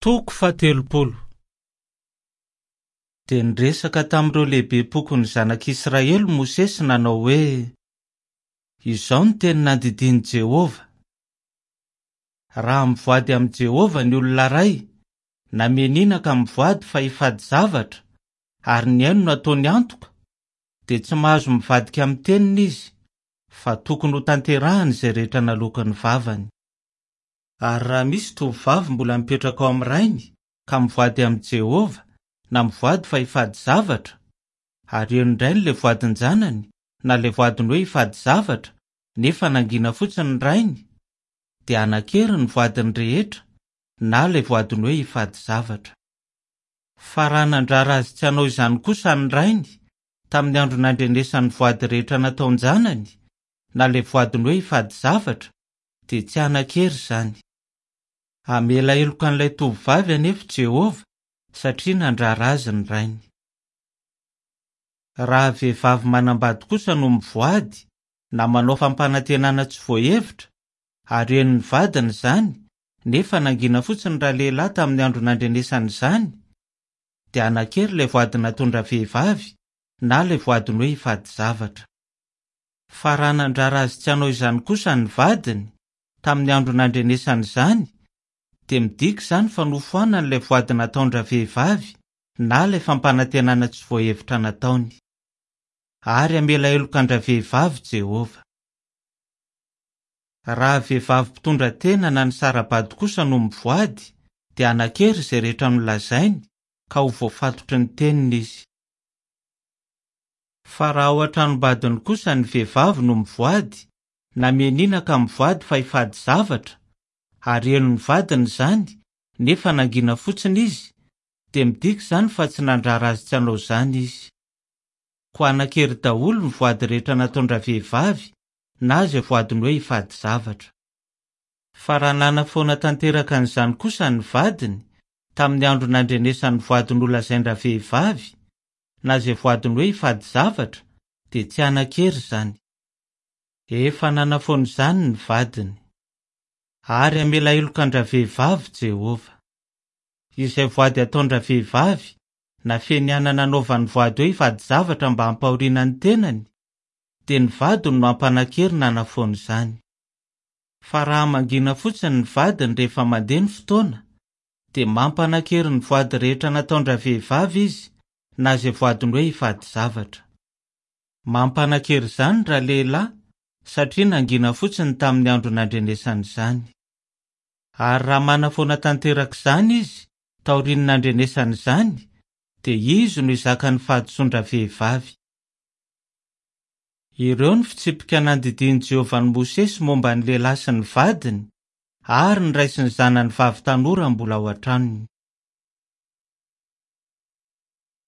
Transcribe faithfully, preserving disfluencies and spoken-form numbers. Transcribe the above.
Toko fahatelopolo. Dia niresaka tamin'ireo lehibem-pokon'ny zanak'Israely Mosesy nanao hoe: "Izao no teny nandidian'i Jehovah: Raha mivoady amin'i Jehovah ny olona iray, na mianiana ka mivoady fa hifady zavatra, ary ny ainy no ataony antoka, dia tsy mahazo mivadika amin'ny teniny izy, fa tokony ho tanterahany izay rehetra naloaky ny vavany. Ary raha misy tovovavy mbola mipetraka ao amin'ny rainy ka mivoady amin'i Jehovah, na mivoady fa hifady zavatra, ary henondrainy ilay voadin-janany na ilay voadiny hoe hifady zavatra, nefa nangina fotsiny ny rainy, dia hanan-kery ny voadiny rehetra na ilay voadiny hoe hifady zavatra. Fa raha nandrara azy tsy hanao izany kosa ny rainy tamin'ny andro nandrenesany voady rehetra nataon-janany, na ilay voadiny hoe hifady zavatra, dia tsy hanan-kery izany. Hamela heloka an'ilay tovovavy anefa Jehovah satria nandrara azy ny rainy. Raha vehivavy manambady kosa no mivoady na manao fampanantenana tsy voahevitra, ary henon'ny vadiny izany, nefa nangina fotsiny ralehilahy tamin'ny andro nandrenesany izany, dia hanan-kery ilay voady nataon-dravehivavy na ilay voadiny hoe hifady zavatra. Fa raha nandrara azy tsy hanao izany kosa ny vadiny tamin'ny andro nandrenesany izany, dia midika izany fa nofoanany ilay voady nataon-dravehivavy na ilay fampanantenana tsy voahevitra nataony. Ary hamela heloka an-dravehivavy Jehovah. Raha vehivavy mpitondra tena na ny sara-bady kosa no mivoady, dia hanan-kery izay rehetra nolazainy ka ho voafatotry ny teniny izy. Fa raha ao an-tranombadiny kosa ny vehivavy no mivoady, na mianiana ka mivoady fa hifady zavatra, ary henon'ny vadiny izany, nefa nangina fotsiny izy, dia midika izany fa tsy nandrara azy tsy hanao izany izy. Koa hanan-kery daholo ny voady rehetra nataon-dravehivavy na izay voadiny hoe hifady zavatra. Fa raha nanafoana tanteraka an'izany kosa ny vadiny tamin'ny andro nandrenesany voady nolazain-dravehivavy, na izay voadiny hoe hifady zavatra, dia tsy hanan-kery izany. Efa nanafoana izany ny vadiny. Ary hamela heloka an-dravehivavy Jehovah. Izay voady ataon-dravehivavy na fianianana nanaovany voady hoe hifady zavatra mba hampahoriana ny tenany, dia ny vadiny no hampanan-kery nanafoana izany. Fa raha mangina fotsiny ny vadiny rehefa mandeha ny fotoana, dia mampanan-kery ny voady rehetra nataon-dravehivavy izy na izay voadiny hoe hifady zavatra. Mampanan-kery izany ralehilahy satria nangina fotsiny tamin'ny andro nandrenesany izany. Ary raha manafoana tanteraka izany izy taorian'ny nandrenesany izany, dia izy no hizaka ny fahadisoan-dravehivavy. Ireo ny fitsipika nandidian'i Jehovah an'i Mosesy momba ny lehilahy sy ny vadiny ary ny ray sy ny zanany vavy tanora mbola ao an-tranony.